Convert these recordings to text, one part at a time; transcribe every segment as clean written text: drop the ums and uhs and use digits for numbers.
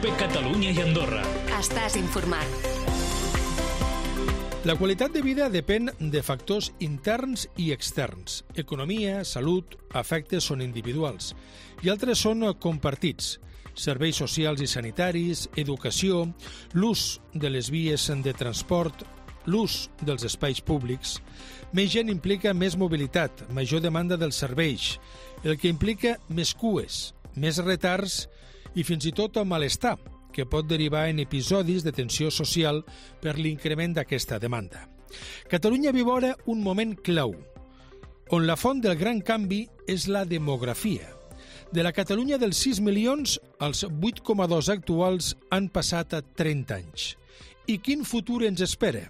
COPE Catalunya i Andorra. Estàs informat. La qualitat de vida depèn de factors interns i externs. Economia, salut, afectes són individuals i altres són compartits. Serveis socials i sanitaris, educació, l'ús de les vies de transport, l'ús dels espais públics. Més gent implica més mobilitat, major demanda dels serveis, el que implica més cues, més retards i fins i tot malestar, que pot derivar en episodis de tensió social per l'increment d'aquesta demanda. Catalunya viu ara un moment clau, on la font del gran canvi és la demografia. De la Catalunya dels 6 milions, els 8,2 actuals han passat a 30 anys. I quin futur ens espera?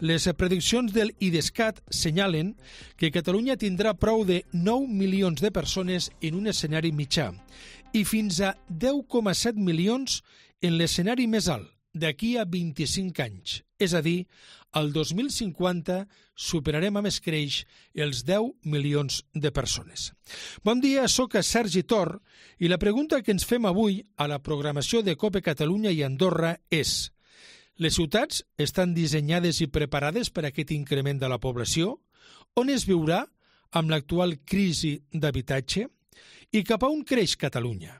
Les prediccions del IDESCAT senyalen que Catalunya tindrà prou de 9 milions de persones en un escenari mitjà i fins a 10,7 milions en l'escenari més alt, d'aquí a 25 anys. És a dir, al 2050 superarem amb escreix els 10 milions de persones. Bon dia, soc Sergi Tor i la pregunta que ens fem avui a la programació de COPE Catalunya i Andorra és: les ciutats estan dissenyades i preparades per a aquest increment de la població? On es viurà amb l'actual crisi d'habitatge? I cap a on creix Catalunya?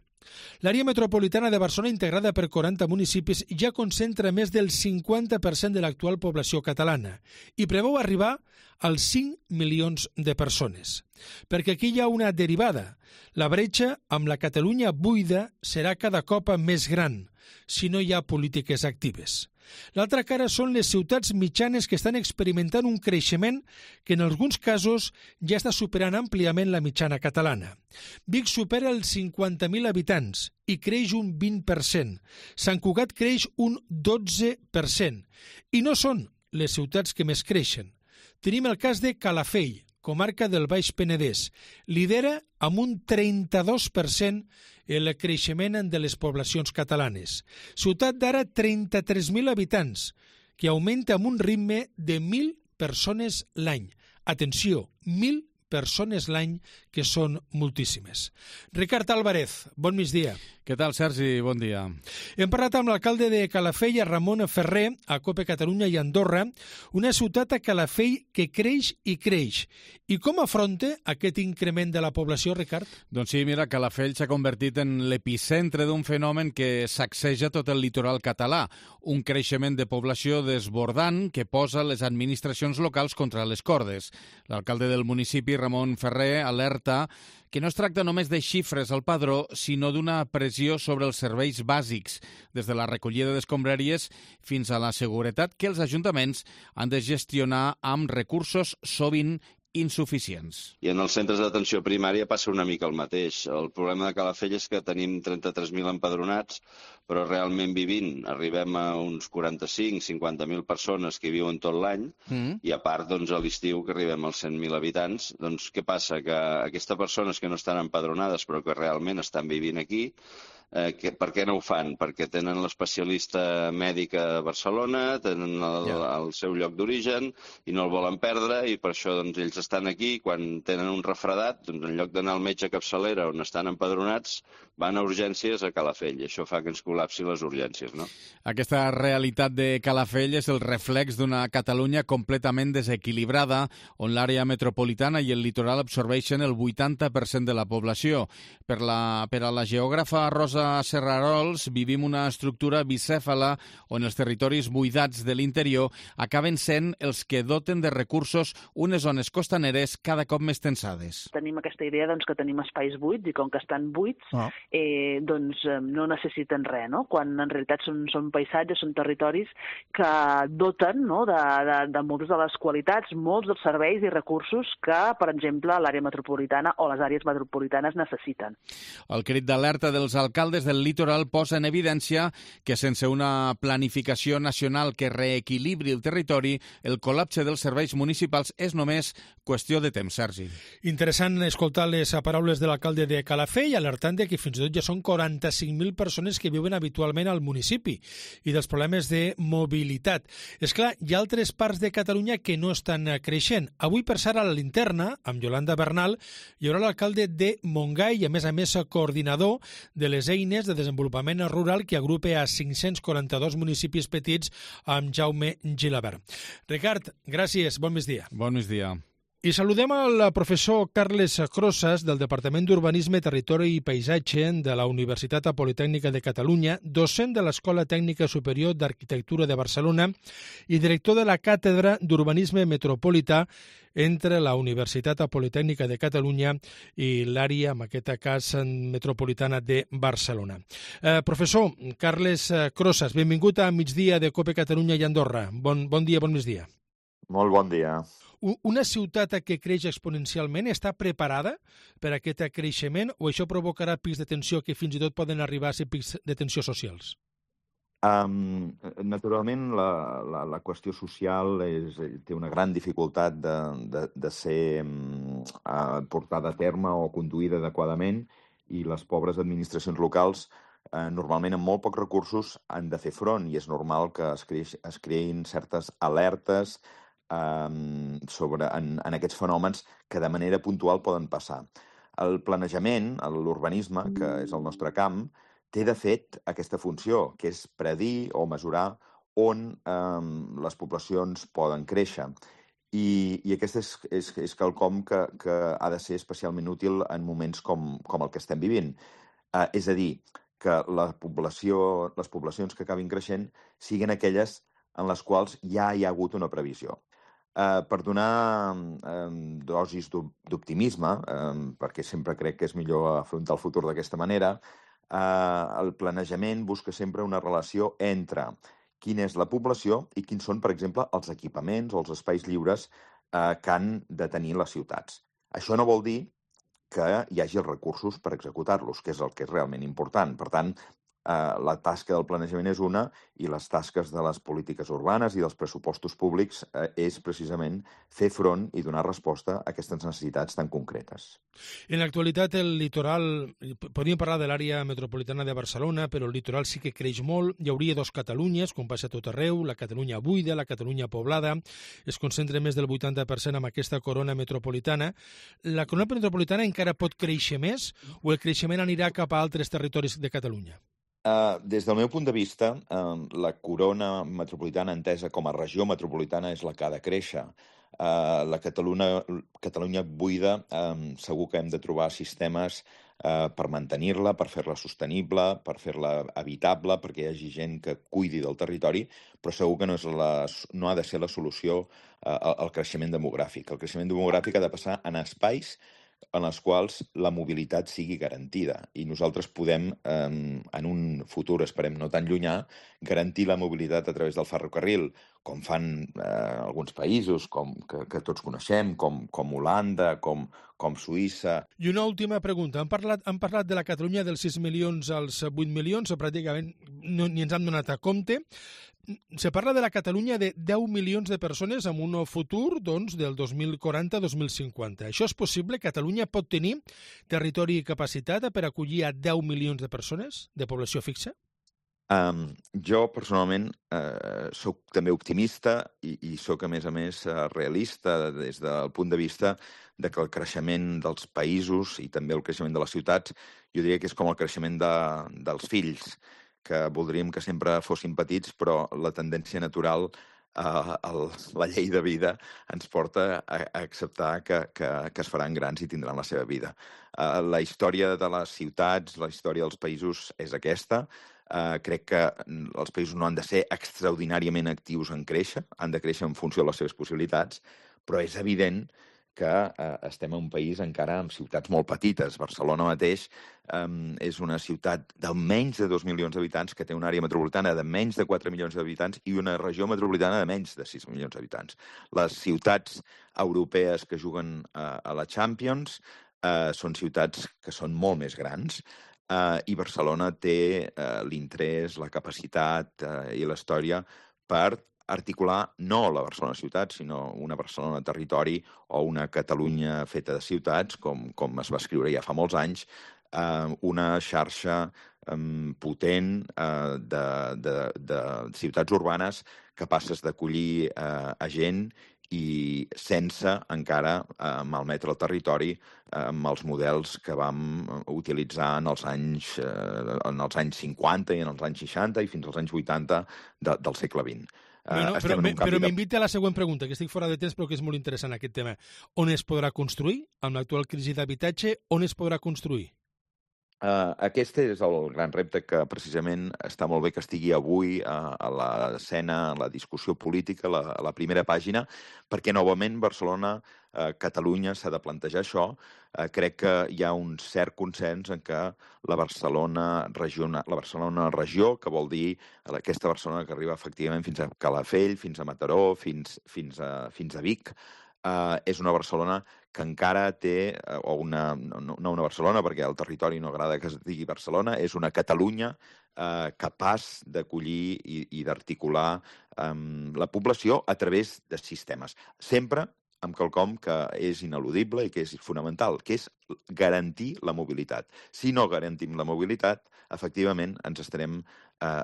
L'àrea metropolitana de Barcelona, integrada per 40 municipis, ja concentra més del 50% de l'actual població catalana i preveu arribar als 5 milions de persones. Perquè aquí hi ha una derivada. La bretxa amb la Catalunya buida serà cada cop més gran si no hi ha polítiques actives. L'altra cara són les ciutats mitjanes que estan experimentant un creixement que en alguns casos ja està superant àmpliament la mitjana catalana. Vic supera els 50.000 habitants i creix un 20%. Sant Cugat creix un 12%. I no són les ciutats que més creixen. Tenim el cas de Calafell, comarca del Baix Penedès. Lidera amb un 32% el creixement de les poblacions catalanes. Ciutat d'ara 33.000 habitants, que augmenta amb un ritme de 1.000 persones l'any. Atenció, 1.000 persones l'any, que són moltíssimes. Ricard Álvarez, bon migdia. Què tal, Sergi? Bon dia. Hem parlat amb l'alcalde de Calafell, Ramon Ferrer, a COPE Catalunya i Andorra, una ciutat a Calafell que creix i creix. I com afronta aquest increment de la població, Ricard? Doncs sí, mira, Calafell s'ha convertit en l'epicentre d'un fenomen que sacseja tot el litoral català, un creixement de població desbordant que posa les administracions locals contra les cordes. L'alcalde del municipi, Ramon Ferrer, alerta que no es tracta només de xifres al padró, sinó d'una pressió sobre els serveis bàsics, des de la recollida d'escombraries fins a la seguretat que els ajuntaments han de gestionar amb recursos sovint insuficients. I en els centres d'atenció primària passa una mica el mateix. El problema de Calafell és que tenim 33.000 empadronats, però realment vivint arribem a uns 45-50.000 persones que viuen tot l'any, i a part, doncs, a l'estiu que arribem als 100.000 habitants. Doncs què passa? Que aquestes persones que no estan empadronades però que realment estan vivint aquí, per què no ho fan? Perquè tenen l'especialista mèdic a Barcelona, tenen el seu lloc d'origen i no el volen perdre, i per això doncs, ells estan aquí. Quan tenen un refredat, doncs, en lloc d'anar al metge capçalera on estan empadronats, van a urgències a Calafell, i això fa que ens col·lapsi les urgències, no? Aquesta realitat de Calafell és el reflex d'una Catalunya completament desequilibrada, on l'àrea metropolitana i el litoral absorbeixen el 80% de la població. Per a la geògrafa Rosa Serrarols vivim una estructura bicèfala on els territoris buidats de l'interior acaben sent els que doten de recursos unes zones costaneres cada cop més tensades. Tenim aquesta idea que tenim espais buits i com que estan buits no necessiten res, no? Quan en realitat són paisatges, són territoris que doten de moltes de les qualitats, molts dels serveis i recursos que, per exemple, l'àrea metropolitana o les àrees metropolitanes necessiten. El crit d'alerta dels alcaldes del litoral posa en evidència que sense una planificació nacional que reequilibri el territori, el col·lapse dels serveis municipals és només qüestió de temps, Sergi. Interessant escoltar les paraules de l'alcalde de Calafell, alertant de que fins i tot ja són 45.000 persones que viuen habitualment al municipi i dels problemes de mobilitat. És clar, hi ha altres parts de Catalunya que no estan creixent. Avui, per ser a la linterna, amb Yolanda Bernal, hi haurà l'alcalde de Montgai i, a més, coordinador de les eines Eines de Desenvolupament Rural que agrupa a 542 municipis petits amb Jaume Gilabert. Ricard, gràcies, bon migdia. Bon migdia. I saludem al professor Carles Crosas del Departament d'Urbanisme, Territori i Paisatge de la Universitat Politècnica de Catalunya, docent de l'Escola Tècnica Superior d'Arquitectura de Barcelona i director de la Càtedra d'Urbanisme Metropolità entre la Universitat Politècnica de Catalunya i l'àrea, en aquest cas, metropolitana de Barcelona. Professor Carles Crosas, benvingut a Migdia de COPE Catalunya i Andorra. Bon dia, bon migdia. Molt bon dia. Una ciutat que creix exponencialment està preparada per a aquest creixement o això provocarà pics de tensió que fins i tot poden arribar a ser pics de tensió socials? Naturalment, la qüestió social té una gran dificultat de ser portada a terme o conduïda adequadament i les pobres administracions locals normalment amb molt pocs recursos han de fer front i és normal que es creïn certes alertes en aquests fenòmens que de manera puntual poden passar. El planejament, l'urbanisme, que és el nostre camp, té de fet aquesta funció, que és predir o mesurar on les poblacions poden créixer. I aquest és quelcom que ha de ser especialment útil en moments com el que estem vivint. És a dir, que les poblacions que acabin creixent siguin aquelles en les quals ja hi ha hagut una previsió. Per donar dosis d'optimisme, perquè sempre crec que és millor afrontar el futur d'aquesta manera, el planejament busca sempre una relació entre quina és la població i quins són, per exemple, els equipaments o els espais lliures que han de tenir les ciutats. Això no vol dir que hi hagi els recursos per executar-los, que és el que és realment important. Per tant, la tasca del planejament és una i les tasques de les polítiques urbanes i dels pressupostos públics és precisament fer front i donar resposta a aquestes necessitats tan concretes. En l'actualitat el litoral, podríem parlar de l'àrea metropolitana de Barcelona, però el litoral sí que creix molt, hi hauria dos Catalunyes, com passa a tot arreu, la Catalunya buida, la Catalunya poblada, es concentra més del 80% amb aquesta corona metropolitana. La corona metropolitana encara pot créixer més o el creixement anirà cap a altres territoris de Catalunya? Des del meu punt de vista, la corona metropolitana entesa com a regió metropolitana és la que ha de créixer. La Catalunya buida segur que hem de trobar sistemes per mantenir-la, per fer-la sostenible, per fer-la habitable, perquè hi hagi gent que cuidi del territori, però segur que no ha de ser la solució al creixement demogràfic. El creixement demogràfic ha de passar en espais en els quals la mobilitat sigui garantida. I nosaltres podem, en un futur, esperem no tan llunyà, garantir la mobilitat a través del ferrocarril, com fan alguns països que tots coneixem, com Holanda, com Suïssa. I una última pregunta. Han parlat de la Catalunya dels 6 milions als 8 milions, o pràcticament ni ens han donat a compte. Se parla de la Catalunya de 10 milions de persones en un futur doncs, del 2040-2050. Això és possible? Catalunya pot tenir territori i capacitat per acollir a 10 milions de persones de població fixa? Jo, personalment, soc també optimista i soc, a més, realista des del punt de vista de que el creixement dels països i també el creixement de les ciutats, jo diria que és com el creixement dels fills, que voldríem que sempre fossin petits, però la tendència natural, la llei de vida, ens porta a acceptar que es faran grans i tindran la seva vida. La història de les ciutats, la història dels països és aquesta. Crec que els països no han de ser extraordinàriament actius en créixer, han de créixer en funció de les seves possibilitats, però és evident que estem en un país encara amb ciutats molt petites. Barcelona mateix és una ciutat de menys de 2 milions d'habitants que té una àrea metropolitana de menys de 4 milions d'habitants i una regió metropolitana de menys de 6 milions d'habitants. Les ciutats europees que juguen a la Champions són ciutats que són molt més grans i Barcelona té l'interès, la capacitat i la història per articular no la Barcelona ciutat, sinó una Barcelona territori o una Catalunya feta de ciutats, com es va escriure ja fa molts anys, una xarxa potent de ciutats urbanes capaces d'acollir a gent i sense encara malmetre el territori amb els models que vam utilitzar en els anys 50 i en els anys 60 i fins als anys 80 del segle XX. Però m'invita a la següent pregunta, que estic fora de temps però que és molt interessant aquest tema. On es podrà construir? Amb l'actual crisi d'habitatge, on es podrà construir? Aquest és el gran repte que precisament està molt bé que estigui avui a l'escena, a la discussió política, a la primera pàgina, perquè novament Barcelona, Catalunya s'ha de plantejar això. Crec que hi ha un cert consens en que la Barcelona regió, que vol dir aquesta Barcelona que arriba efectivament fins a Calafell, fins a Mataró, fins a Vic, és una Barcelona que encara té, no una Barcelona, perquè al territori no agrada que es digui Barcelona, és una Catalunya capaç d'acollir i d'articular la població a través de sistemes. Sempre amb quelcom que és ineludible i que és fonamental, que és garantir la mobilitat. Si no garantim la mobilitat, efectivament ens estarem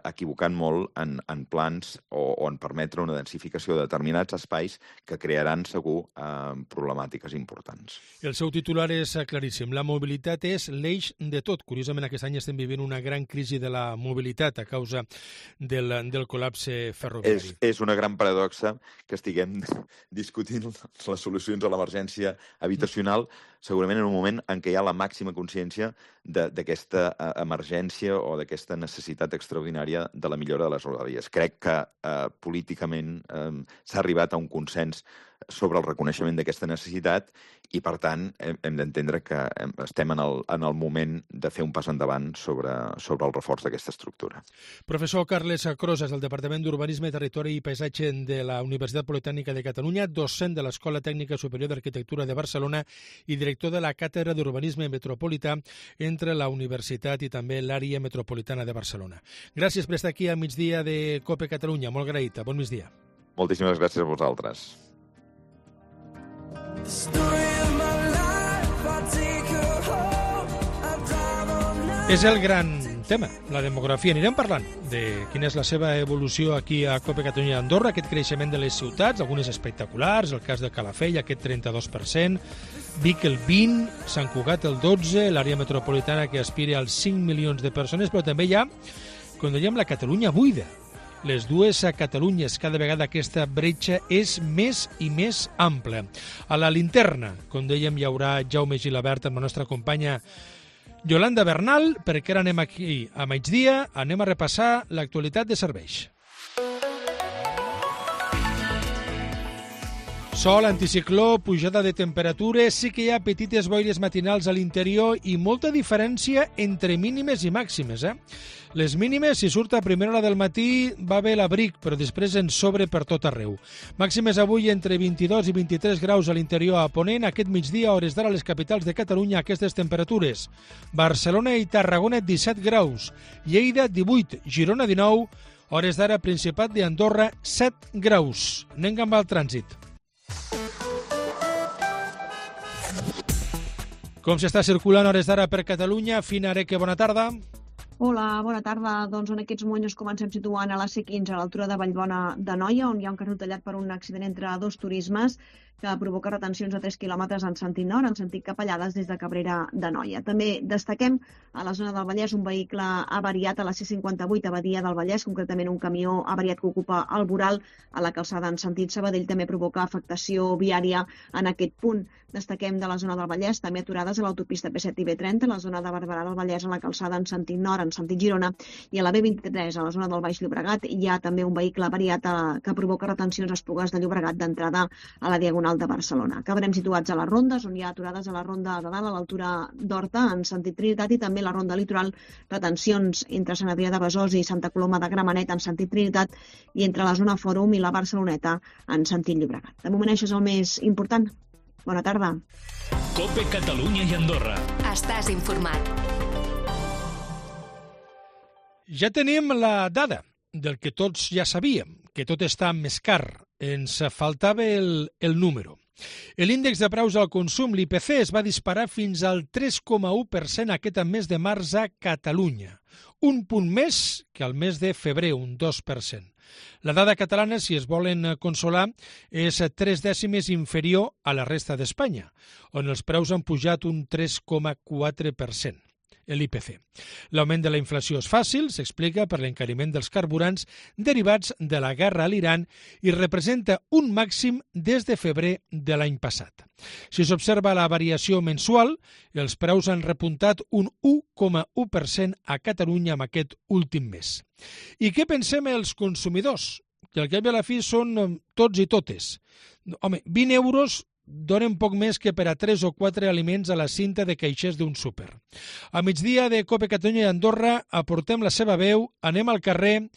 equivocant molt en plans o en permetre una densificació de determinats espais que crearan segur problemàtiques importants. El seu titular és claríssim. La mobilitat és l'eix de tot. Curiosament, aquest any estem vivint una gran crisi de la mobilitat a causa del col·lapse ferroviari. És una gran paradoxa que estiguem discutint les solucions a l'emergència habitacional, segurament en un moment en què hi ha la màxima consciència d'aquesta emergència o d'aquesta necessitat extraordinària de la millora de les rodalies. Crec que políticament s'ha arribat a un consens sobre el reconeixement d'aquesta necessitat i, per tant, hem d'entendre que estem en el moment de fer un pas endavant sobre el reforç d'aquesta estructura. Professor Carles Crosas, del Departament d'Urbanisme, Territori i Paisatge de la Universitat Politècnica de Catalunya, docent de l'Escola Tècnica Superior d'Arquitectura de Barcelona i director de la Càtedra d'Urbanisme Metropolità entre la Universitat i també l'àrea metropolitana de Barcelona. Gràcies per estar aquí a migdia de COPE Catalunya. Molt agraït. Bon migdia. Moltíssimes gràcies a vosaltres. És el gran tema, la demografia. Anirem parlant de quina és la seva evolució aquí a COPE Catalunya d'Andorra, aquest creixement de les ciutats, algunes espectaculars, el cas de Calafell, aquest 32%, Vic el 20%, Sant Cugat el 12%, l'àrea metropolitana que aspira als 5 milions de persones, però també hi ha, quan dèiem, la Catalunya buida. Les dues a Catalunyes, cada vegada aquesta bretxa és més i més ampla. A la linterna, com dèiem, hi haurà Jaume Gilabert amb la nostra companya Yolanda Bernal, perquè ara anem aquí a migdia, anem a repassar l'actualitat de serveis. Sol, anticicló, pujada de temperatures, sí que hi ha petites boires matinals a l'interior i molta diferència entre mínimes i màximes. Les mínimes, si surt a primera hora del matí, va bé l'abric, però després en sobre per tot arreu. Màximes avui entre 22 i 23 graus a l'interior a Ponent, aquest migdia, a hores d'ara, a les capitals de Catalunya, aquestes temperatures. Barcelona i Tarragona, 17 graus. Lleida, 18. Girona, 19. Hores d'ara, Principat d'Andorra, 7 graus. Anem amb el trànsit. Com s'està circulant a hores d'ara per Catalunya? Fina Areque, bona tarda. Hola, bona tarda. Doncs en aquests moments ens comencem situant a la C15 a l'altura de Vallbona d'Anoia, on hi ha un carril tallat per un accident entre dos turismes que provoca retencions a 3 quilòmetres en sentit nord, en sentit Capellades des de Cabrera d'Anoia. També destaquem a la zona del Vallès un vehicle avariat a la C58 a Badia del Vallès, concretament un camió avariat que ocupa el voral a la calçada en sentit Sabadell, també provoca afectació viària en aquest punt. Destaquem de la zona del Vallès també aturades a l'autopista P7 i B30, a la zona de Barberà del Vallès a la calçada en sentit nord, en sentit Girona, i a la B23 a la zona del Baix Llobregat hi ha també un vehicle avariat que provoca retencions a Esplugues de Llobregat d'entrada a la Diagonal de Barcelona. Acabarem situats a les rondes, on hi ha aturades a la ronda de dalt a l'altura d'Horta en sentit Trinitat i també la ronda litoral, retencions entre Sant Adrià de Besòs i Santa Coloma de Gramenet en sentit Trinitat i entre la zona Fòrum i la Barceloneta en sentit Llobregat. De moment això és el més important. Bona tarda. COPE Catalunya i Andorra. Estàs informat. Ja tenim la dada del que tots ja sabíem, que tot està més car. Ens faltava el número. L'índex de preus al consum, l'IPC, es va disparar fins al 3,1% aquest mes de març a Catalunya. Un punt més que al mes de febrer, un 2%. La dada catalana, si es volen consolar, és 3 dècimes inferior a la resta d'Espanya, on els preus han pujat un 3,4%. L'IPC. L'augment de la inflació és fàcil, s'explica per l'encariment dels carburants derivats de la guerra a l'Iran i representa un màxim des de febrer de l'any passat. Si s'observa la variació mensual, els preus han repuntat un 1,1% a Catalunya en aquest últim mes. I què pensem els consumidors? Que al cap i a la fi són tots i totes. Home, 20 euros donen poc més que per a 3 o 4 aliments a la cinta de caixers d'un súper. A migdia de Cope Catalunya i Andorra aportem la seva veu, anem al carrer.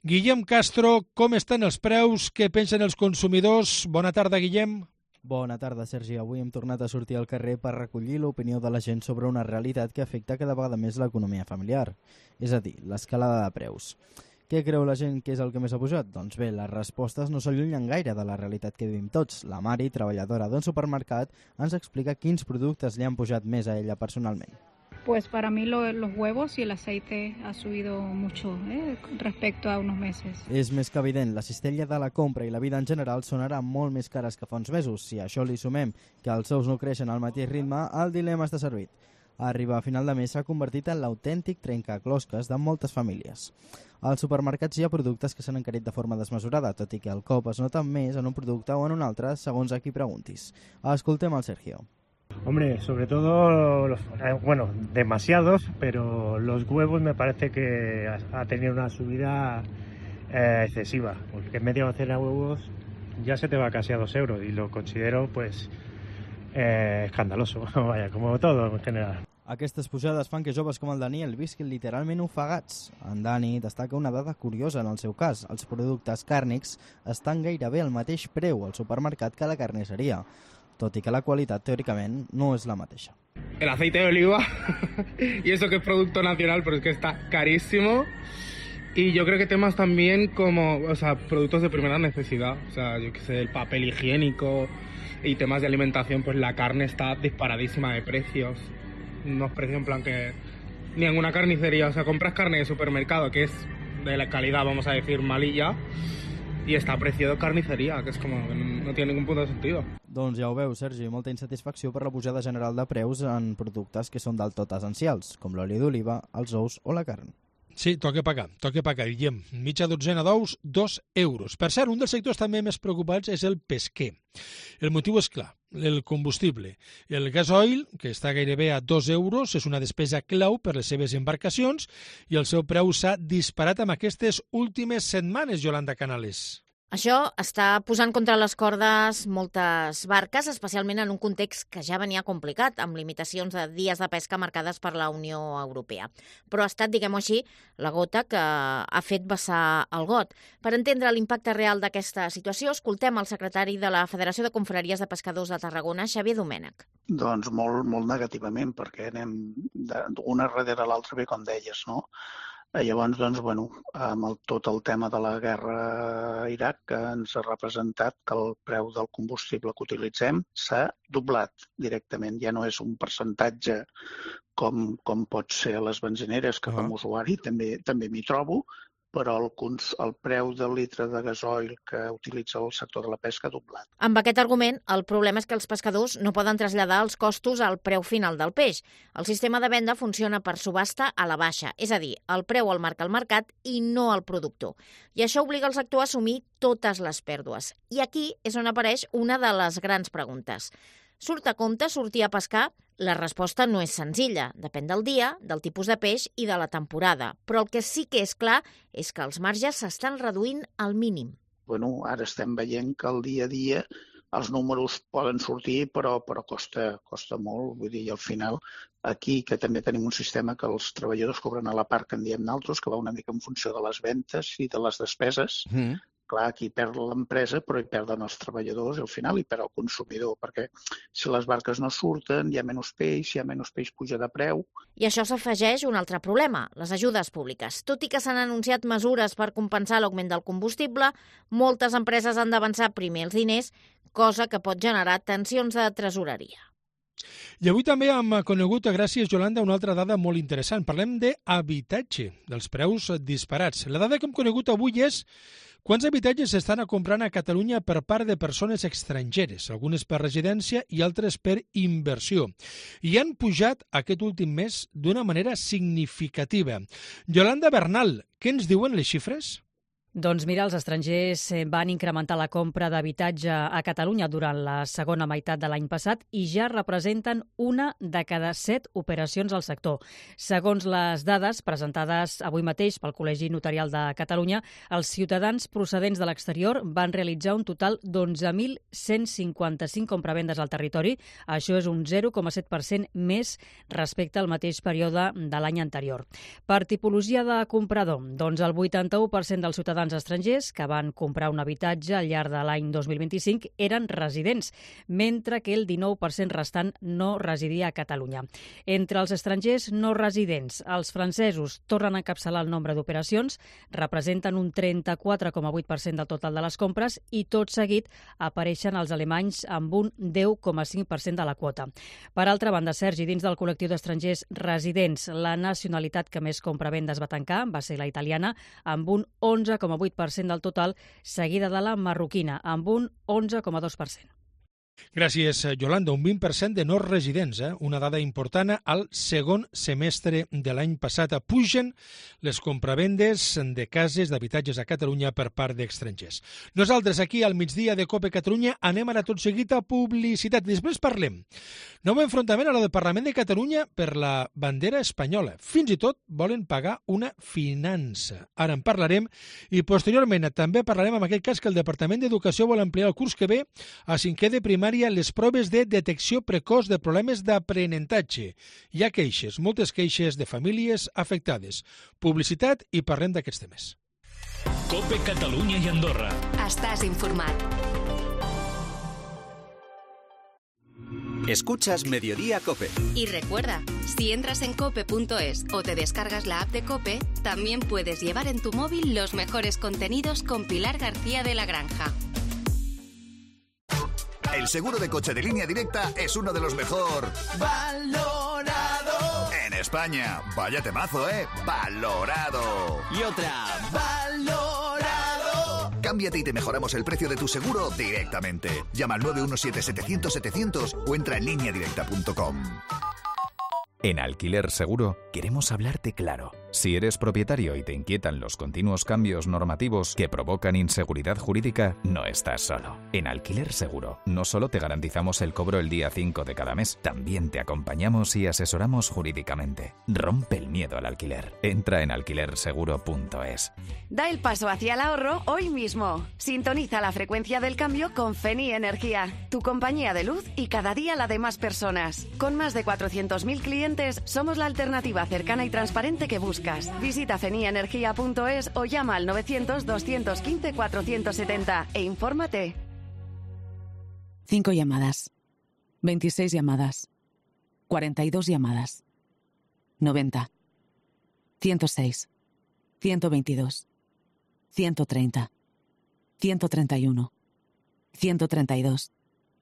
Guillem Castro, com estan els preus? Què pensen els consumidors? Bona tarda, Guillem. Bona tarda, Sergi. Avui hem tornat a sortir al carrer per recollir l'opinió de la gent sobre una realitat que afecta cada vegada més l'economia familiar, és a dir, l'escalada de preus. Què creu la gent que és el que més ha pujat? Doncs bé, les respostes no s'allunyen gaire de la realitat que vivim tots. La Mari, treballadora d'un supermercat, ens explica quins productes li han pujat més a ella personalment. Pues para mí los huevos y el aceite ha subido mucho respecto a unos meses. És més que evident, la cistella de la compra i la vida en general són ara molt més cares que fa uns mesos. Si a això li sumem que els sous no creixen al mateix ritme, el dilema està servit. A arribar a final de mes s'ha convertit en l'autèntic trencaclosques de moltes famílies. Als supermercats hi ha productes que s'han encarit de forma desmesurada, tot i que el cop es nota més en un producte o en un altre, segons a qui preguntis. Escoltem el Sergio. Hombre, sobre todo, bueno, demasiados, pero los huevos me parece que ha tenido una subida excesiva, porque media docena de huevos ya se te va casi a 2 euros y lo considero pues escandaloso, vaya, como todo en general. Aquestes pujades fan que joves com el Daniel visquin literalment ofegats. En Dani destaca una dada curiosa en el seu cas. Els productes càrnics estan gairebé al mateix preu al supermercat que a la carnisseria, tot i que la qualitat, teòricament, no és la mateixa. El aceite de oliva, y eso que es producto nacional, pero es que está carísimo. Y yo creo que temas también como, o sea, productos de primera necesidad, o sea, yo qué sé, el papel higiénico y temas de alimentación, pues la carne está disparadísima de precios. Unos precios en plan que ni en una carnicería, o sea, compras carne de supermercado que es de la calidad, vamos a decir, malilla, y està a precio de carniceria, que és com que no té ningún punt de sentit. Doncs ja ho veus, Sergi, molta insatisfacció per la pujada general de preus en productes que són del tot essencials, com l'oli d'oliva, els ous o la carn. Sí, toca pagar, Guillem. Mitja dotzena d'ous, 2 euros. Per cert, un dels sectors també més preocupats és el pesquer. El motiu és clar, el combustible. El gasoil, que està gairebé a 2 euros, és una despesa clau per les seves embarcacions i el seu preu s'ha disparat amb aquestes últimes setmanes, Yolanda Canales. Això està posant contra les cordes moltes barques, especialment en un context que ja venia complicat, amb limitacions de dies de pesca marcades per la Unió Europea. Però ha estat, diguem-ho així, la gota que ha fet vessar el got. Per entendre l'impacte real d'aquesta situació, escoltem el secretari de la Federació de Confraries de Pescadors de Tarragona, Xavier Domènech. Doncs molt negativament, perquè anem d'una darrere l'altra, bé com deies, no? Llavors, doncs, amb tot el tema de la guerra a Iraq, que ens ha representat que el preu del combustible que utilitzem s'ha doblat directament. Ja no és un percentatge com pot ser a les benzineres, que com a usuari també m'hi trobo, però el preu del litre de gasoil que utilitza el sector de la pesca ha doblat. Amb aquest argument, el problema és que els pescadors no poden traslladar els costos al preu final del peix. El sistema de venda funciona per subhasta a la baixa, és a dir, el preu el marca el mercat i no el productor. I això obliga el sector a assumir totes les pèrdues. I aquí és on apareix una de les grans preguntes. Surt a compte sortir a pescar? La resposta no és senzilla. Depèn del dia, del tipus de peix i de la temporada. Però el que sí que és clar és que els marges s'estan reduint al mínim. Ara estem veient que el dia a dia els números poden sortir, però costa molt. Vull dir, i al final, aquí, que també tenim un sistema que els treballadors cobren a la part que en diem naltros, que va una mica en funció de les ventes i de les despeses. Clar, aquí perd l'empresa, però hi perden els treballadors i al final hi perd el consumidor, perquè si les barques no surten, hi ha menys peix puja de preu. I això s'afegeix un altre problema, les ajudes públiques. Tot i que s'han anunciat mesures per compensar l'augment del combustible, moltes empreses han d'avançar primer els diners, cosa que pot generar tensions de tresoreria. I avui també hem conegut, gràcies, Yolanda, una altra dada molt interessant. Parlem d'habitatge, dels preus disparats. La dada que hem conegut avui és quants habitatges s'estan comprant a Catalunya per part de persones estrangeres, algunes per residència i altres per inversió. I han pujat aquest últim mes d'una manera significativa. Yolanda Bernal, què ens diuen les xifres? Doncs mira, els estrangers van incrementar la compra d'habitatge a Catalunya durant la segona meitat de l'any passat i ja representen 1 de cada 7 operacions al sector. Segons les dades presentades avui mateix pel Col·legi Notarial de Catalunya, els ciutadans procedents de l'exterior van realitzar un total d'11.155 compravendes al territori. Això és un 0,7% més respecte al mateix període de l'any anterior. Per tipologia de comprador, doncs el 81% dels ciutadans estrangers que van comprar un habitatge al llarg de l'any 2025 eren residents, mentre que el 19% restant no residia a Catalunya. Entre els estrangers no residents, els francesos tornen a encapçalar el nombre d'operacions, representen un 34,8% del total de les compres i tot seguit apareixen els alemanys amb un 10,5% de la quota. Per altra banda, Sergi, dins del col·lectiu d'estrangers residents, la nacionalitat que més compravendes va tancar va ser la italiana, amb un 11,8% del total, seguida de la marroquina, amb un 11,2%. Gràcies, Yolanda. Un 20% de no residents, una dada important al segon semestre de l'any passat. Pugen les compravendes de cases d'habitatges a Catalunya per part d'estrangers. Nosaltres aquí al migdia de COPE Catalunya anem ara tot seguit a publicitat. Després parlem. Nou enfrontament a la del Parlament de Catalunya per la bandera espanyola. Fins i tot volen pagar una finança. Ara en parlarem i posteriorment també parlarem en aquest cas que el Departament d'Educació vol ampliar el curs que ve a 5è de primària les proves de detecció precoç de problemes d'aprenentatge. Hi ha queixes, moltes queixes de famílies afectades. Publicitat i parlem d'aquests temes. COPE Catalunya i Andorra. Estàs informat. Escuchas Mediodía COPE. Y recuerda, si entras en cope.es o te descargas la app de COPE, también puedes llevar en tu móvil los mejores contenidos con Pilar García de la Granja. El seguro de coche de Línea Directa es uno de los mejor valorado en España. Vaya temazo, ¿eh? Valorado. Y otra, valorado. Cámbiate y te mejoramos el precio de tu seguro directamente. Llama al 917-700-700 o entra en lineadirecta.com. En Alquiler Seguro queremos hablarte claro. Si eres propietario y te inquietan los continuos cambios normativos que provocan inseguridad jurídica, no estás solo. En Alquiler Seguro no solo te garantizamos el cobro el día 5 de cada mes, también te acompañamos y asesoramos jurídicamente. Rompe el miedo al alquiler. Entra en alquilerseguro.es. Da el paso hacia el ahorro hoy mismo. Sintoniza la frecuencia del cambio con Feni Energía, tu compañía de luz y cada día la de más personas. Con más de 400.000 clientes, somos la alternativa cercana y transparente que buscas. Visita feniaenergia.es o llama al 900-215-470 e infórmate. 5 llamadas, 26 llamadas, 42 llamadas, 90, 106, 122, 130, 131, 132,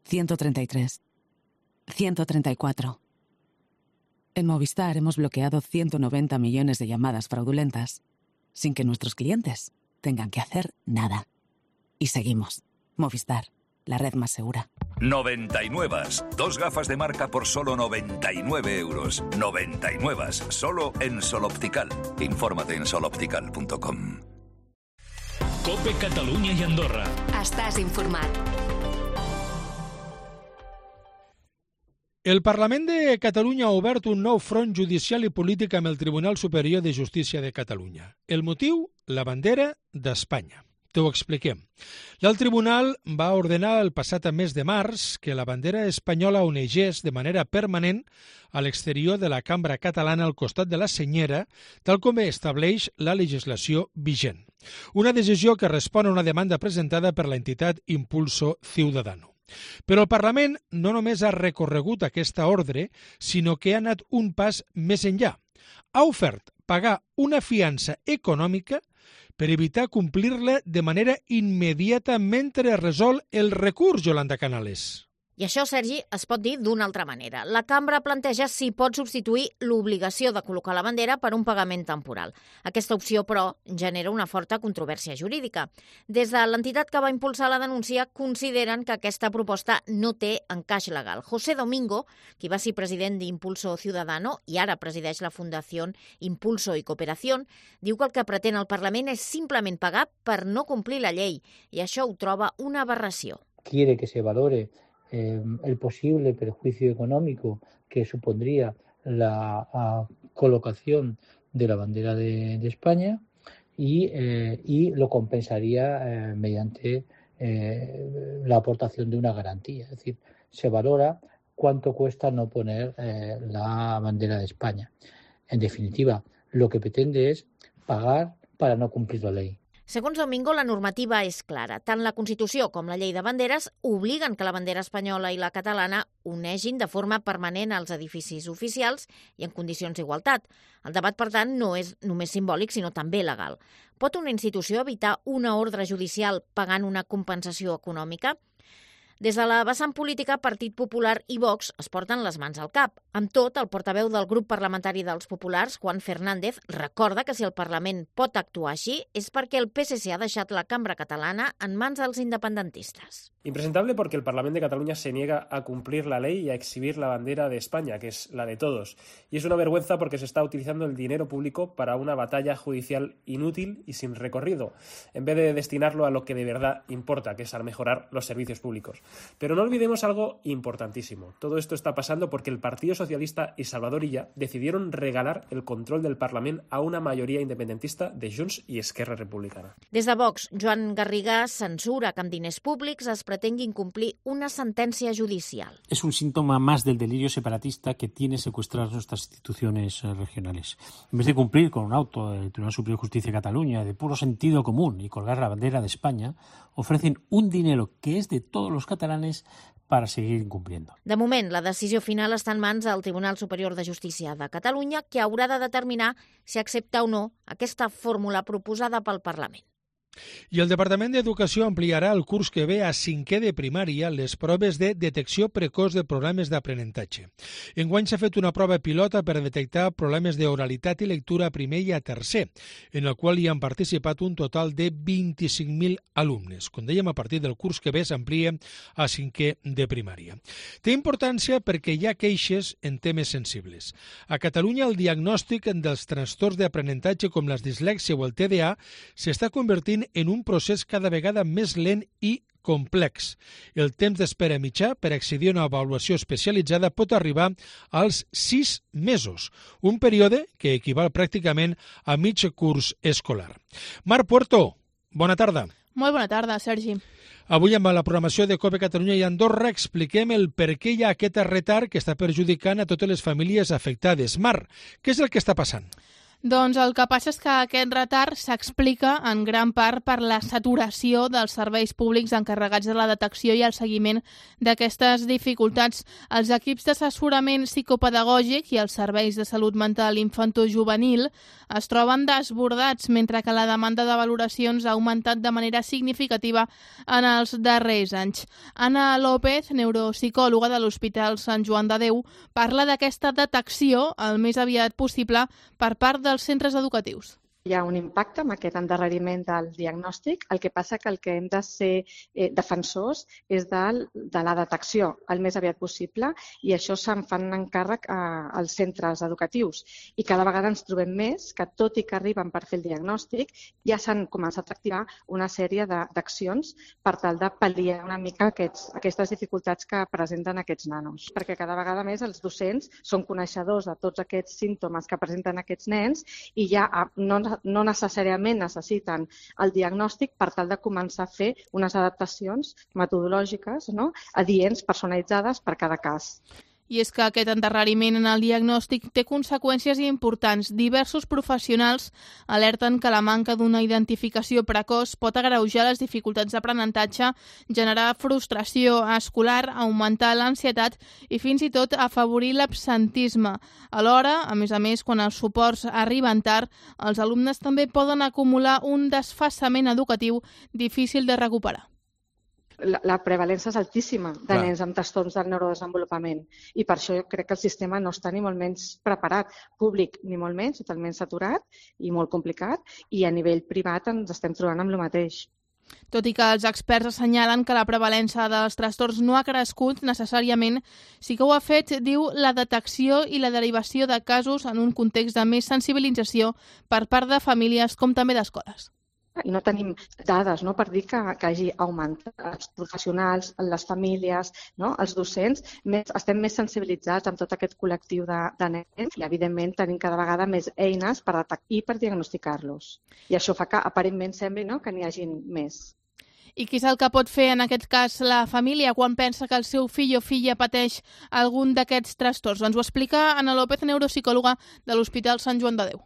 133, 134. En Movistar hemos bloqueado 190 millones de llamadas fraudulentas sin que nuestros clientes tengan que hacer nada. Y seguimos. Movistar, la red más segura. 99. 2 gafas de marca por solo 99 euros. 99. Solo en Sol Optical. Infórmate en soloptical.com. COPE Catalunya i Andorra. Estàs informat. El Parlament de Catalunya ha obert un nou front judicial i polític amb el Tribunal Superior de Justícia de Catalunya. El motiu? La bandera d'Espanya. T'ho expliquem. El tribunal va ordenar el passat mes de març que la bandera espanyola onegés de manera permanent a l'exterior de la cambra catalana al costat de la senyera, tal com estableix la legislació vigent. Una decisió que respon a una demanda presentada per l'entitat Impulso Ciudadano. Però el Parlament no només ha recorregut aquesta ordre, sinó que ha anat un pas més enllà. Ha ofert pagar una fiança econòmica per evitar complir-la de manera immediata mentre resol el recurs, Yolanda Canales. I això, Sergi, es pot dir d'una altra manera. La cambra planteja si pot substituir l'obligació de col·locar la bandera per un pagament temporal. Aquesta opció, però, genera una forta controvèrsia jurídica. Des de l'entitat que va impulsar la denúncia, consideren que aquesta proposta no té encaix legal. José Domingo, qui va ser president d'Impulso Ciudadano i ara presideix la Fundació Impulso y Cooperación, diu que el que pretén el Parlament és simplement pagar per no complir la llei, i això ho troba una aberració. Quiere que se valore el posible perjuicio económico que supondría la colocación de la bandera de España y lo compensaría mediante la aportación de una garantía. Es decir, se valora cuánto cuesta no poner la bandera de España. En definitiva, lo que pretende es pagar para no cumplir la ley. Segons Domingo, la normativa és clara. Tant la Constitució com la llei de banderes obliguen que la bandera espanyola i la catalana unegin de forma permanent als edificis oficials i en condicions d'igualtat. El debat, per tant, no és només simbòlic, sinó també legal. Pot una institució evitar una ordre judicial pagant una compensació econòmica? Des de la vessant política, Partit Popular i Vox es porten les mans al cap. Amb tot, el portaveu del grup parlamentari dels populars, Juan Fernández, recorda que si el Parlament pot actuar així és perquè el PSC ha deixat la cambra catalana en mans dels independentistes. Impresentable porque el Parlamento de Cataluña se niega a cumplir la ley y a exhibir la bandera de España, que es la de todos. Y es una vergüenza porque se está utilizando el dinero público para una batalla judicial inútil y sin recorrido, en vez de destinarlo a lo que de verdad importa, que es a mejorar los servicios públicos. Pero no olvidemos algo importantísimo. Todo esto está pasando porque el Partido Socialista y Salvador Illa decidieron regalar el control del Parlament a una majoria independentista de Junts i Esquerra Republicana. Des de Vox, Joan Garriga censura que amb diners públics es pretengui incomplir una sentència judicial. Es un síntoma más del delirio separatista que tiene secuestrar nuestras instituciones regionales. En vez de cumplir con un auto del Tribunal Superior de Justicia de Cataluña de puro sentido común y colgar la bandera de España, ofrecen un dinero que es de todos los catalanes para seguir incumpliendo. De moment, la decisió final està en mans del Tribunal Superior de Justícia de Catalunya, que haurà de determinar si accepta o no aquesta fórmula proposada pel Parlament. I el Departament d'Educació ampliarà el curs que ve a 5è de primària les proves de detecció precoç de problemes d'aprenentatge. Enguany s'ha fet una prova pilota per detectar problemes d'oralitat i lectura a primer i a tercer, en el qual hi han participat un total de 25.000 alumnes. Com dèiem, a partir del curs que ve s'amplia a 5è de primària. Té importància perquè hi ha queixes en temes sensibles. A Catalunya, el diagnòstic dels trastorns d'aprenentatge com la dislèxia o el TDA s'està convertint en un procés cada vegada més lent i complex. El temps d'espera mitjà per accedir a una avaluació especialitzada pot arribar als 6 mesos, un període que equival pràcticament a mig curs escolar. Marc Puerto, bona tarda. Molt bona tarda, Sergi. Avui amb la programació de COPE Catalunya i Andorra expliquem el per què hi ha aquest retard que està perjudicant a totes les famílies afectades. Marc, què és el que està passant? Doncs el que passa és que aquest retard s'explica en gran part per la saturació dels serveis públics encarregats de la detecció i el seguiment d'aquestes dificultats. Els equips d'assessorament psicopedagògic i els serveis de salut mental infantojuvenil es troben desbordats, mentre que la demanda de valoracions ha augmentat de manera significativa en els darrers anys. Anna López, neuropsicòloga de l'Hospital Sant Joan de Déu, parla d'aquesta detecció el més aviat possible per part dels centres educatius. Hi ha un impacte amb aquest endarreriment del diagnòstic. El que passa que el que hem de ser defensors és de la detecció el més aviat possible i això se'n fan encàrrec als centres educatius. I cada vegada ens trobem més que, tot i que arriben per fer el diagnòstic, ja s'han començat a activar una sèrie d'accions per tal de pal·liar una mica aquestes dificultats que presenten aquests nanos. Perquè cada vegada més els docents són coneixedors de tots aquests símptomes que presenten aquests nens i ja no necessàriament necessiten el diagnòstic per tal de començar a fer unes adaptacions metodològiques, adients, personalitzades per cada cas. I és que aquest endarreriment en el diagnòstic té conseqüències importants. Diversos professionals alerten que la manca d'una identificació precoç pot agreujar les dificultats d'aprenentatge, generar frustració escolar, augmentar l'ansietat i fins i tot afavorir l'absentisme. Alhora, a més, quan els suports arriben tard, els alumnes també poden acumular un desfasament educatiu difícil de recuperar. La prevalència és altíssima de nens amb trastorns del neurodesenvolupament i per això jo crec que el sistema no està ni molt menys preparat, públic ni molt menys, totalment saturat i molt complicat, i a nivell privat ens estem trobant amb el mateix. Tot i que els experts assenyalen que la prevalença dels trastorns no ha crescut necessàriament, sí que ho ha fet, diu, la detecció i la derivació de casos en un context de més sensibilització per part de famílies com també d'escoles. I no tenim dades per dir que hagi augmentat. Els professionals, les famílies, els docents, estem més sensibilitzats amb tot aquest col·lectiu de nens i, evidentment, tenim cada vegada més eines per detectar i per diagnosticar-los. I això fa que, aparentment, sembli que n'hi hagin més. I què és el que pot fer, en aquest cas, la família quan pensa que el seu fill o filla pateix algun d'aquests trastorns? Ens ho explica Ana López, neuropsicòloga de l'Hospital Sant Joan de Déu.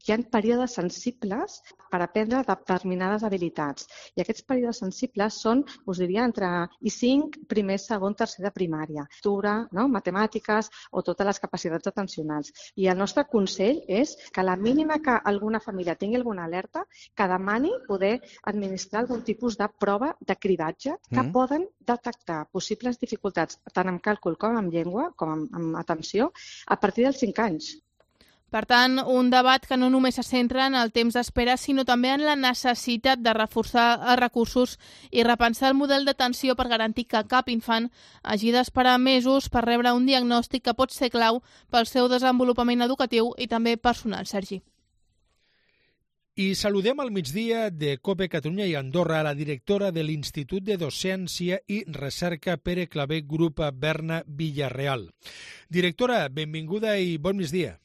Hi ha períodes sensibles per aprendre determinades habilitats. I aquests períodes sensibles són, us diria, entre I5, primer, segon, tercer de primària. Lectura, matemàtiques o totes les capacitats atencionals. I el nostre consell és que a la mínima que alguna família tingui alguna alerta, que demani poder administrar algun tipus de prova de cridatge que poden detectar possibles dificultats tant amb càlcul com amb llengua, com amb atenció, a partir dels 5 anys. Per tant, un debat que no només se centra en el temps d'espera, sinó també en la necessitat de reforçar els recursos i repensar el model d'atenció per garantir que cap infant hagi d'esperar mesos per rebre un diagnòstic que pot ser clau pel seu desenvolupament educatiu i també personal, Sergi. I saludem al migdia de COPE Catalunya i Andorra a la directora de l'Institut de Docència i Recerca Pere Clavé Grup Berna Villarreal. Directora, benvinguda i bon migdia.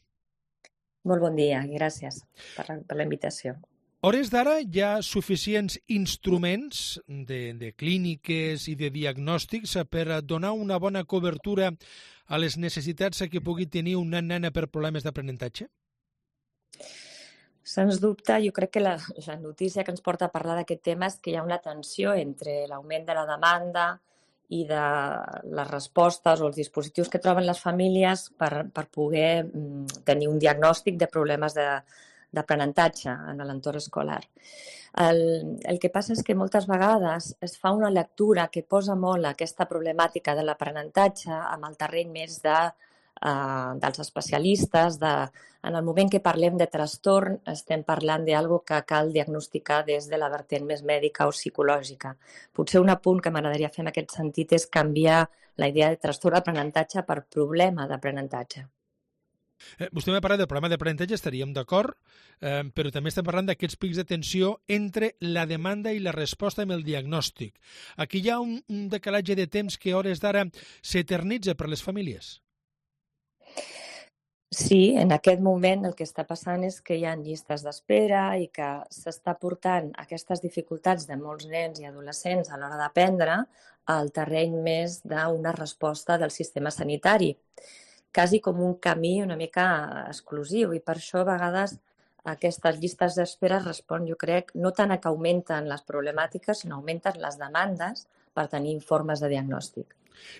Molt bon dia i gràcies per la invitació. A hores d'ara hi ha suficients instruments de clíniques i de diagnòstics per donar una bona cobertura a les necessitats que pugui tenir una nena per problemes d'aprenentatge? Sens dubte, jo crec que la notícia que ens porta a parlar d'aquest tema és que hi ha una tensió entre l'augment de la demanda i de les respostes o els dispositius que troben les famílies per poder tenir un diagnòstic de problemes d'aprenentatge en l'entorn escolar. El que passa és que moltes vegades es fa una lectura que posa molt aquesta problemàtica de l'aprenentatge amb el terreny més dels especialistes. En el moment que parlem de trastorn estem parlant d'algo que cal diagnosticar des de la vertent més mèdica o psicològica. Potser un apunt que m'agradaria fer en aquest sentit és canviar la idea de trastorn d'aprenentatge per problema d'aprenentatge. Vostè m'ha parlat del problema d'aprenentatge, estaríem d'acord, però també estem parlant d'aquests pics de tensió entre la demanda i la resposta amb el diagnòstic. Aquí hi ha un decalatge de temps que a hores d'ara s'eternitza per les famílies. Sí, en aquest moment el que està passant és que hi ha llistes d'espera i que s'està portant aquestes dificultats de molts nens i adolescents a l'hora d'aprendre al terreny més d'una resposta del sistema sanitari, quasi com un camí una mica exclusiu, i per això a vegades aquestes llistes d'espera respon, jo crec, no tant a que augmenten les problemàtiques, sinó augmenten les demandes per tenir informes de diagnòstic.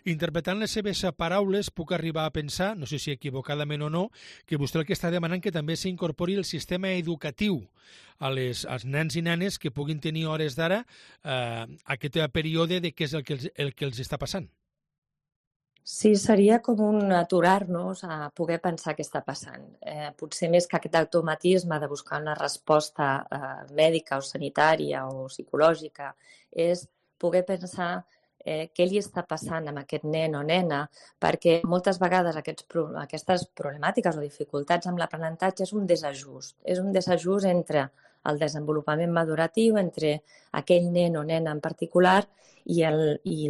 Interpretant les seves paraules, puc arribar a pensar, no sé si equivocadament o no, que vostè el que està demanant que també s'incorpori el sistema educatiu als nens i nenes que puguin tenir hores d'ara aquest període de què és el que els està passant. Sí, seria com un aturar-nos a poder pensar què està passant. Potser més que aquest automatisme de buscar una resposta mèdica o sanitària o psicològica és poder pensar què li està passant amb aquest nen o nena, perquè moltes vegades aquestes problemàtiques o dificultats amb l'aprenentatge és un desajust entre el desenvolupament maduratiu, entre aquell nen o nena en particular i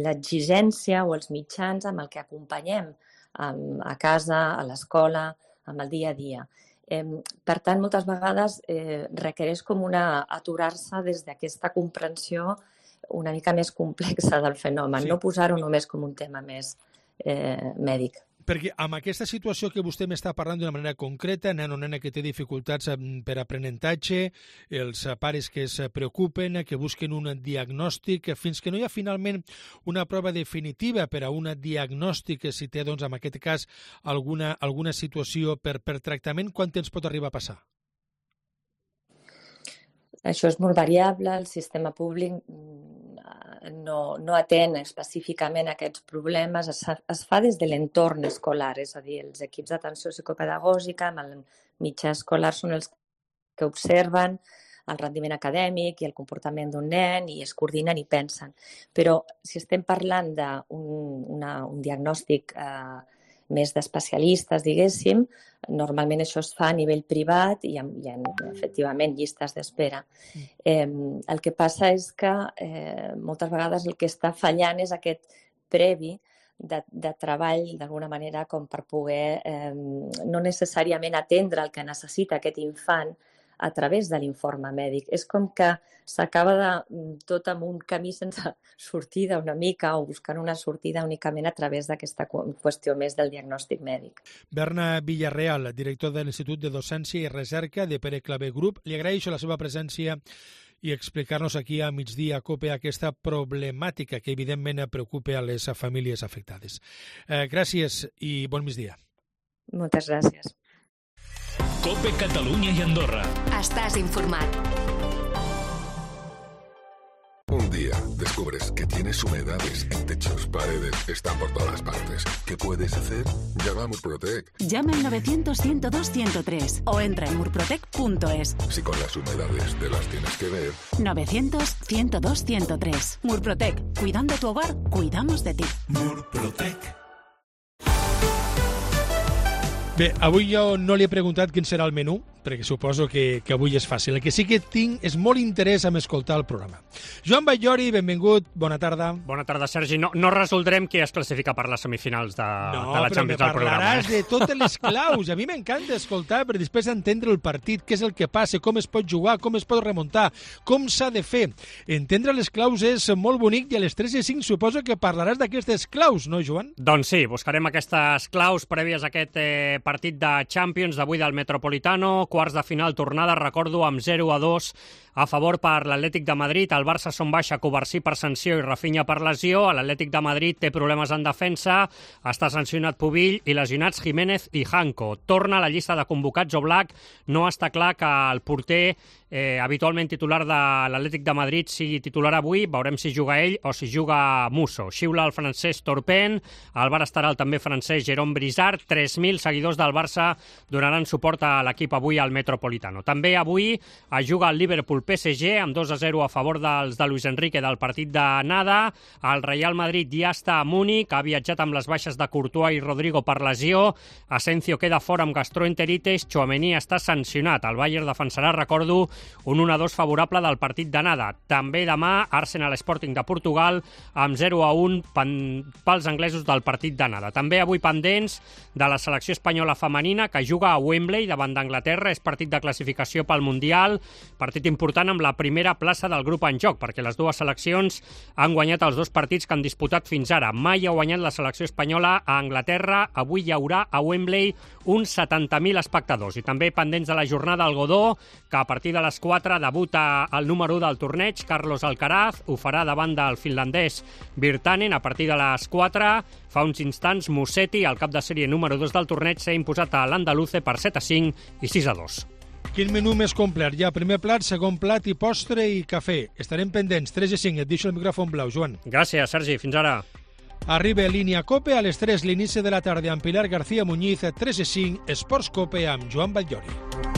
l'exigència o els mitjans amb el que acompanyem a casa, a l'escola, amb el dia a dia. Per tant, moltes vegades requereix com aturar-se des d'aquesta comprensió una mica més complexa del fenomen, no posar-ho només com un tema més mèdic. Perquè amb aquesta situació que vostè m'està parlant d'una manera concreta, nen o nena que té dificultats per aprenentatge, els pares que es preocupen, que busquen un diagnòstic, fins que no hi ha finalment una prova definitiva per a un diagnòstic, si té, doncs, en aquest cas, alguna situació per tractament, quant temps pot arribar a passar? Això és molt variable. El sistema públic no atén específicament aquests problemes, es fa des de l'entorn escolar, és a dir, els equips d'atenció psicopedagògica amb el mitjà escolar són els que observen el rendiment acadèmic i el comportament d'un nen i es coordinen i pensen. Però si estem parlant d'un diagnòstic més d'especialistes, diguéssim, normalment això es fa a nivell privat i hi ha efectivament llistes d'espera. El que passa és que moltes vegades el que està fallant és aquest previ de treball, d'alguna manera, com per poder no necessàriament atendre el que necessita aquest infant a través de l'informe mèdic. És com que s'acaba tot amb un camí sense sortida una mica o buscant una sortida únicament a través d'aquesta qüestió més del diagnòstic mèdic. Berna Villarreal, director de l'Institut de Docència i Recerca de Pere Clavé Grup, li agraeixo la seva presència i explicar-nos aquí a Migdia COPE aquesta problemàtica que evidentment preocupa a les famílies afectades. Gràcies i bon migdia. Moltes gràcies. COPE Catalunya i Andorra. Estàs informat. Un día descubres que tienes humedades en techos, paredes, están por todas partes. ¿Qué puedes hacer? Llama a Murprotec. Llama al 900-102-103 o entra en murprotec.es. Si con las humedades te las tienes que ver. 900-102-103. Murprotec. Cuidando tu hogar, cuidamos de ti. Murprotec. Bé, avui jo no li he preguntat quin serà el menú, perquè suposo que avui és fàcil. El que sí que tinc és molt interès en escoltar el programa. Joan Batllori, benvingut, bona tarda. Bona tarda, Sergi. No resoldrem qui es classifica per les semifinals de la Champions del programa. No, però me parlaràs de totes les claus. A mi m'encanta escoltar per després entendre el partit, què és el que passa, com es pot jugar, com es pot remuntar, com s'ha de fer. Entendre les claus és molt bonic i a les 3:05 suposo que parlaràs d'aquestes claus, no, Joan? Doncs sí, buscarem aquestes claus prèvies a aquest partit de Champions d'avui del Metropolitano, quarts de final tornada, recordo, amb 0-2 a favor per l'Atlètic de Madrid. El Barça són baixa, Covarsí per sanció i Rafinha per lesió. L'Atlètic de Madrid té problemes en defensa, està sancionat Pubill i lesionats Jiménez i Janko. Torna a la llista de convocats Oblak. No està clar que el porter habitualment titular de l'Atlètic de Madrid sigui titular avui. Veurem si juga ell o si juga Musso. Xiula el francès Torpen, el bar estarà el també francès Jérôme Brizard. 3.000 seguidors del Barça donaran suport a l'equip avui al Metropolitano. També avui es juga el Liverpool-PSG amb 2-0 a favor dels de Luis Enrique del partit d'anada. El Real Madrid ja està a Múnich, ha viatjat amb les baixes de Courtois i Rodrigo per lesió. Asensio queda fora amb gastroenteritis, Tchouaméni està sancionat. El Bayern defensarà, recordo, un 1-2 favorable del partit d'anada. També demà Arsenal Sporting de Portugal amb 0-1 pels anglesos del partit d'anada. També avui pendents de la selecció espanyola femenina que juga a Wembley davant d'Anglaterra. És partit de classificació pel Mundial, partit important amb la primera plaça del grup en joc, perquè les dues seleccions han guanyat els dos partits que han disputat fins ara. Mai ha guanyat la selecció espanyola a Anglaterra. Avui hi haurà a Wembley uns 70.000 espectadors. I també pendents de la jornada al Godó, que a partir de les 4 debuta el número 1 del torneig, Carlos Alcaraz. Ho farà davant del finlandès Virtanen a partir de les 4. Fa uns instants, Musetti, el cap de sèrie número 2 del torneig, s'ha imposat a l'Andaluce per 7-5 i 6-2. Quin menú més complet? Ja, primer plat, segon plat i postre i cafè. Estarem pendents. 3:05, et deixo el micròfon blau, Joan. Gràcies, Sergi. Fins ara. Arriba Línia Cope a les 3, l'inici de la tarda amb Pilar García Muñiz, 3:05, Esports Cope amb Joan Batllori.